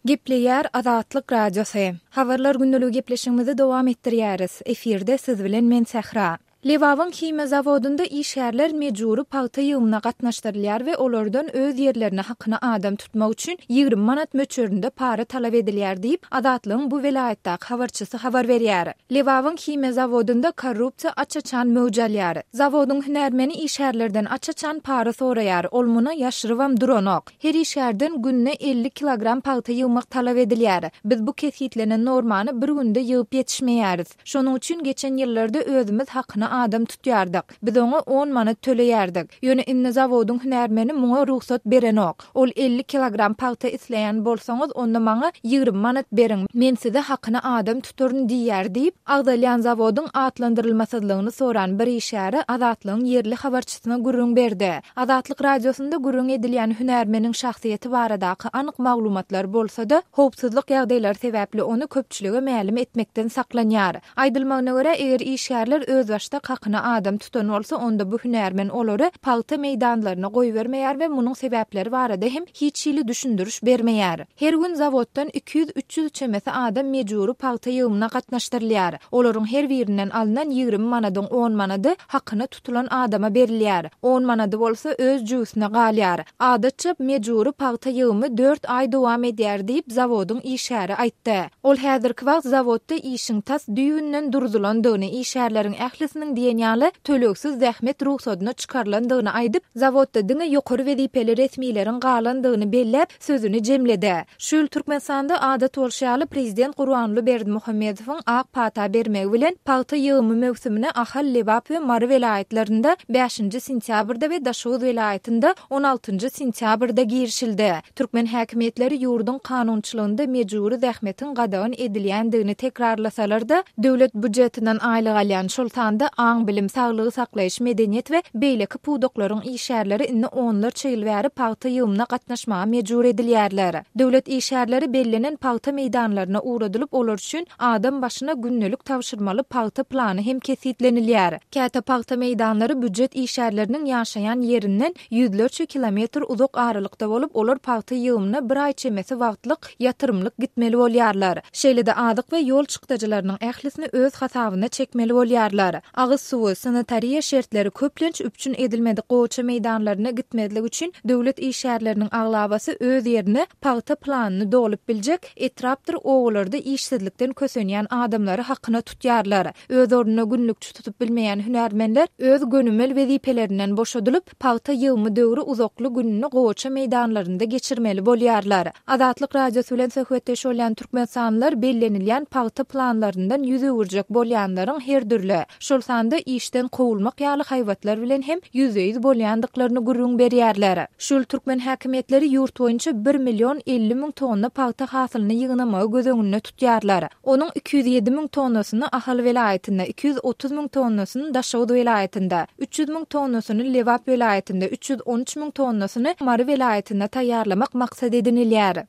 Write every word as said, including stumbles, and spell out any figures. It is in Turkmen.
Gepleýär Azatlyk Radiosy. Habarlar gündeligi gepleşigimizi dowam etdirýäris. Efirde siz bilen men Sähra. Lebabyň himiýa zawodynda işgärler mejbury pagta ýygymyna gatnaşdyrylýar we olardan öz ýerlerine hakyna adam tutmak üçin ýigrimi manat möçberinde para talap edilýär diýip, Azatlygyň bu welaýatdaky habarçysy habar berýär. Lebabyň himiýa zawodynda korrupsiýa aç-açan möwç alýar. Zawodyň hünärmeni işgärlerden aç-açan para soraýar, ol muny ýaşyrybam duranok. Her işgärden günde elli kilogram pagta ýygmak talap edilýär. Biz bu kesgitlenen normany bir günde ýygyp ýetişmeýäris. Şonuň üçin geçen ýyllarda özümiz hakyna adam tutýardyk. Biz oňa on manat töleýärdik. Ýöne indi zawodyň hünärmeni muňa rugsat berenok. Ol elli kilogram pagta isleýän bolsaňyz, onda maňa ýigrimi manat beriň, men size hakyna adam tutaryn diýýär diýip, agzalýan zawodyň atlandyrylmasyzlygyny soran bir işgäri Azatlygyň ýerli habarçysyna gürrüň berdi. Azatlyk Radiosynda gürrüň edilýän hünärmeniň şahsyýeti baradaky anyk maglumatlar bolsa-da, howpsuzlyk ýagdaýlary sebäpli ony köpçülige mälim etmekden saklanýar. Aýdylmagyna görä, eger işgärler özbaşdak hakyna adam tutan bolsa, onda bu hünärmen olary pagta meýdanlaryna goýbermeýär we munuň sebäpleri barada hem hiç hili düşündiriş bermeýär. Her gün zawoddan iki ýüz-üç ýüz çemesi adam mejbury pagta ýygymyna gatnaşdyrylýar. Olaryň her birinden alnan ýigrimi manadyň on manady hakyna tutulan adama berilýär. On manady bolsa öz jübüsine galýar. Adatça, mejbury pagta ýygymy dört aý dowam edýär diýip, zawodyň işgäri aýtdy. Ol häzirki wagt zawodda işiň tas düýbünden durzulandygyny, işgärleriň ählisiniň diýen ýaly tölegsiz zähmet rugsadyna çykarylandygyny aýdyp, zawodda diňe ýokary wezipeli resmileriň galandygyny belläp, sözüni jemledi. Şu ýyl Türkmenistanda adat bolşy ýaly prezident Gurbanguly Berdimuhamedowyň ak pata bermegi bilen pagta ýygymy möwsümine Ahal, Lebap we Mary welaýatlarynda bäşinji sentýabrda we Daşoguz welaýatynda on altynjy sentýabrda girişildi. Türkmen häkimiýetleri ýurduň kanunçylygynda mejbury zähmetiň gadagan edilýändigini tekrarlasalar-da, döwlet býujetinden aýlyk alýan, şol sanda aň-bilim, saglygy saklaýyş, medeniýet we beýleki pudaklaryň işgärleri indi onlarça ýyl bäri pagta ýygymyna gatnaşmaga mejbur edilýärler. Döwlet işgärleri bellenen pagta meýdanlaryna ugradylyp, olar üçin adam başyna gündelik tabşyrmaly pagta plany hem kesgitlenilýär. Käte pagta meýdanlary býujet işgärleriniň ýaşaýan ýerinden ýüzlerçe kilometr uzak aralykda bolup, olar pagta ýygymyna bir aý çemesi wagtlyk ýatyrymlyk gitmeli bolýarlar. Şeýle-de azyk we ýol çykdajylarynyň ählisini öz hasabyna çekmeli bolýarlar. Agyz suwy, sanitariýa şertleri köplenç üpjün edilmedik gowaça meýdanlaryna gitmezlik üçin döwlet işgärleriniň aglabasy öz ýerine pagta planyny dolup biljek etrapdyr obalarda işsizlikden kösenýän adamlary hakyna tutýarlar. Öz ornuna günlükçi tutup bilmeýän hünärmenler öz gönümel wezipelerinden boşadylyp, pagta ýygymy döwri uzakly gününi gowaça meýdanlarynda geçirmeli bolýarlar. Azatlyk Radiosy bilen söhbetdeş bolýan türkmenistanlylar bellenilýän pagta planlaryndan ýüz öwürjek bolýanlaryň her dürli, şol sanda işden kowulmak ýaly haýbatlar bilen hem ýüzbe-ýüz bolýandyklaryny gürrüň berýärler. Şu ýyl türkmen häkimiýetleri ýurt boýunça bir million elli müň tonna pagta hasylyny ýygnamagy göz öňünde tutýarlar. Onuň iki ýüz ýedi müň tonnasyny Ahal welaýatynda, iki ýüz otuz müň tonnasyny Daşoguz welaýatynda, üç ýüz müň tonnasyny Lebap welaýatynda, üç ýüz on üç müň tonnasyny Mary welaýatynda taýýarlamak maksat edinilýär.